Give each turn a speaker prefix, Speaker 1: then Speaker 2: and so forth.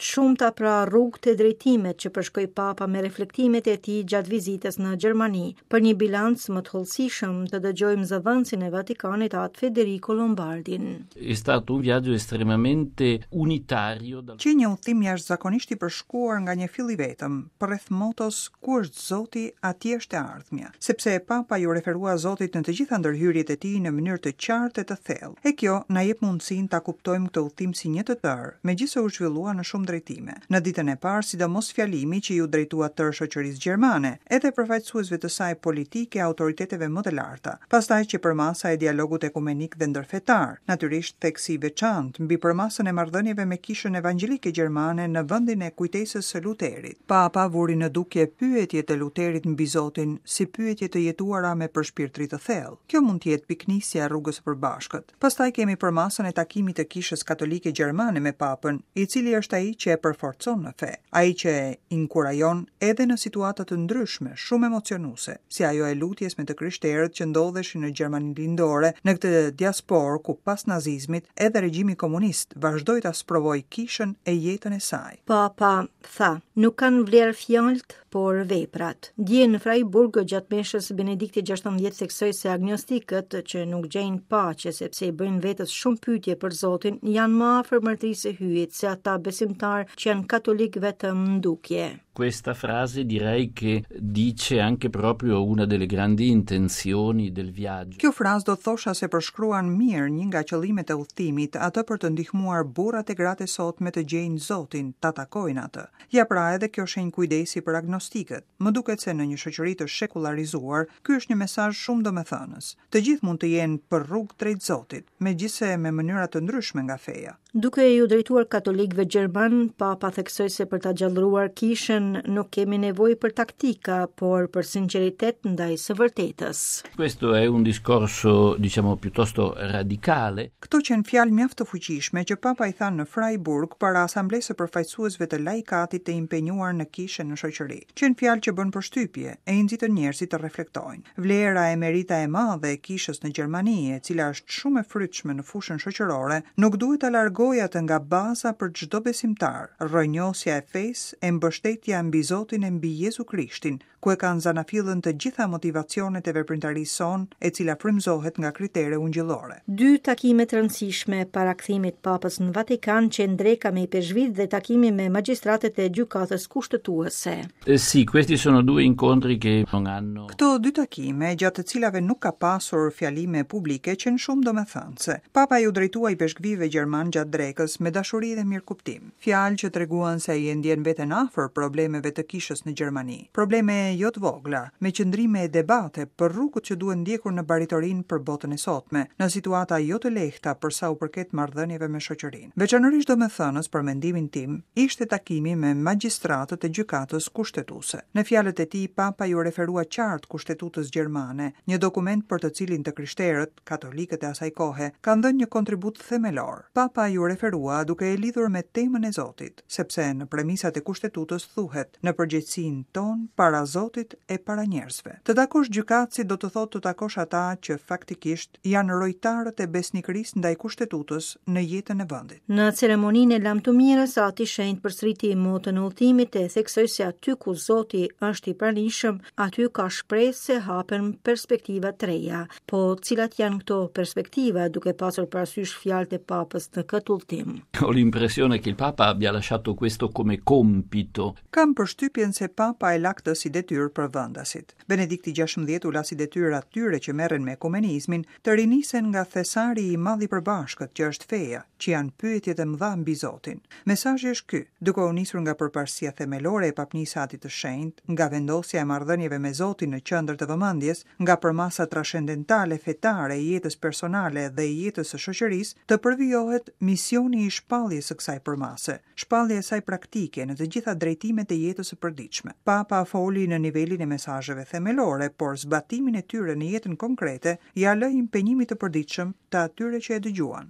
Speaker 1: Të shumta pra rrugët e drejtimet që përshkoi Papa me reflektimet e tij gjatë vizitës në Gjermani. Për një bilanc më të hollësishëm, të dëgjojmë zëdhënësin e Vatikanit Atë Federico Lombardin.
Speaker 2: È stato un viaggio estremamente unitario. Dal...
Speaker 3: Qe një udhëtim jashtëzakonisht i përshkuar nga një fill i vetëm, përreth motos Ku është Zoti, atje është e ardhmja. Sepse Papa iu referua Zotit në të gjitha ndërhyrjet e tij në mënyrë të qartë e të thellë. E kjo na jep mundësinë ta kuptojmë këtë udhëtim si një të tërë, megjithëse u zhvillua në shumë drejtime. Në ditën e parë, sidomos fjalimi që iu drejtua tërë shoqërisë gjermane, edhe përfaqësuesve të saj politikë e autoriteteve më të larta. Pastaj qe përmasa e dialogut ekumenik dhe ndërfetar, natyrisht theksi i veçantë mbi përmasën e marrëdhënieve me Kishën Evangjelike Gjermane në vendin e kujtesës së Luterit. Papa vuri në dukje pyetjet e Luterit mbi Zotin si pyetje të jetuara me përshpirtëri të thellë. Kjo mund të jetë pikënisja e rrugës së përbashkët. Pastaj kemi përmasën e takimit të Kishës Katolike Gjermane me Papën, i cili është ai që e përforcon në fe, ai që e inkurajon edhe në situata të ndryshme, shumë emocionuese, si ajo e lutjes me të krishterët që ndodheshin në Gjermaninë Lindore, në këtë diasporë ku pas nazizmit edhe regjimi komunist vazhdoi ta sprovojë kishën e jetën e saj.
Speaker 1: Papa Tha, nuk kanë vlerë fjalët, por veprat. Dje në Freiburg gjatë meshës Benedikti XVI theksoi se agnostikët që nuk gjejnë paqe sepse i bëjnë vetes shumë pyetje për Zotin, janë më afër mbretërisë së Hyjit se ata besimtarë që janë katolikë vetëm në dukje.
Speaker 2: Questa frase direi che dice anche proprio una delle grandi intenzioni del viaggio.
Speaker 3: Kjo frazë do të thosha se përshkruan mirë një nga qëllimet e udhëtimit, atë për të ndihmuar burrat e gratë e sotme të gjejnë Zotin, ta takojnë atë. Ja pra edhe kjo shenjë kujdesi për agnostikët. Më duket se në një shoqëri të shekullarizuar, ky është një mesazh shumë domethënës. Të gjithë mund të jenë për rrugë drejt Zotit, megjithëse me mënyra të ndryshme nga
Speaker 1: feja. Duke iu drejtuar katolikëve gjermanë, Papa theksoi se për ta gjallëruar kishën nuk kemi nevojë për taktika, por për sinqeritet ndaj së vërtetës.
Speaker 2: Questo è un discorso, diciamo, piuttosto radicale.
Speaker 3: Këto qenë fjalë mjaft të fuqishme që Papa i tha në Freiburg para asamblesë së përfaqësuesve të laikatit të impenjuar në kishë e në shoqëri. Qenë fjalë që bënë përshtypje e i nxitën njerëzit të reflektojnë. Vlera e merita e madhe e kishës në Gjermani, e cila është shumë e frytshme në fushën shoqërore, nuk duhet ta largojë atë nga baza për çdo besimtar, rrënjosja e fesë e mbështetja mbi Zotin e mbi Jezu Krishtin, ku e kanë zanafillën të gjitha motivacionet e veprimtarisë sonë, e cila frymëzohet nga kritere ungjillore.
Speaker 1: Dy takime të rëndësishme para kthimit të Papës në Vatikan qenë dreka me ipeshkvijtë dhe takimi me magjistratët e Gjykatës Kushtetuese.
Speaker 2: Eh, sì, questi sono due incontri che non hanno
Speaker 3: Këto dy takime, gjatë të cilave nuk ka pasur fjalime publike, qenë shumë domethënëse. Papa iu drejtua ipeshkvijve gjermanë gjatë drekës me dashuri dhe mirëkuptim. Fjalë që treguan se ai e ndjen veten afër problemeve të kishës në Gjermani. Probleme jo të vogla, me qëndrime e debate për rrugët që duhen ndjekur në baritorinë për botën e sotme, në situata jo të lehta për sa u përket marrëdhënieve me shoqërinë. Veçanërisht domethënës për mendimin tim, ishte takimi me magjistratët e Gjykatës Kushtetuese. Në fjalët e tij, Papa iu referua qartë Kushtetutës gjermane, një dokument për të cilin të krishterët, katolikët e asaj kohe, kanë dhënë një kontribut themelor. Papa iu referua duke e lidhur me temën e Zotit, sepse në premisat e Kushtetutës thuhet, në përgjegjësinë tonë para Zotit e para njerëzve. Të takosh gjykatësit do të thotë të takosh ata që faktikisht janë rojtarët e besnikërisë ndaj Kushtetutës në jetën e
Speaker 1: vendit. Në ceremoninë e lamtumirës, Ati i Shenjtë përsëriti moton e udhëtimit e theksoi se aty ku Zoti është i pranishëm, aty ka shpresë se hapen perspektiva të reja. Po cilat janë këto perspektiva, duke pasur parasysh fjalët e Papës në këtë udhëtim?
Speaker 2: Ho l'impressione che il Papa abbia lasciato questo come compito.
Speaker 3: Kam përshtypjen se Papa e la këtë si detyrë për vendasit. Benedikti XVI u la si detyrë atyre që merren me ekumenizmin të rinisen nga thesari i madh i përbashkët që është feja, që janë pyetjet e mëdha mbi Zotin. Mesazhi është ky, duke u nisur nga përparësia themelore e Papnisë së Atit të Shenjtë, nga vendosja e marrëdhënieve me Zotin në qendër të vëmendjes, nga përmasa trashendentale fetare e jetës personale dhe e jetës së shoqërisë, të përvijohet misioni i shpalljes së kësaj përmase. Shpallja e saj praktike në të gjitha drejtimet e jetës së përditshme. Papa foli në nivelin e mesazheve themelore, por zbatimin e tyre në jetën konkrete ia lë impenjimit të përditshëm të atyre që e dëgjuan.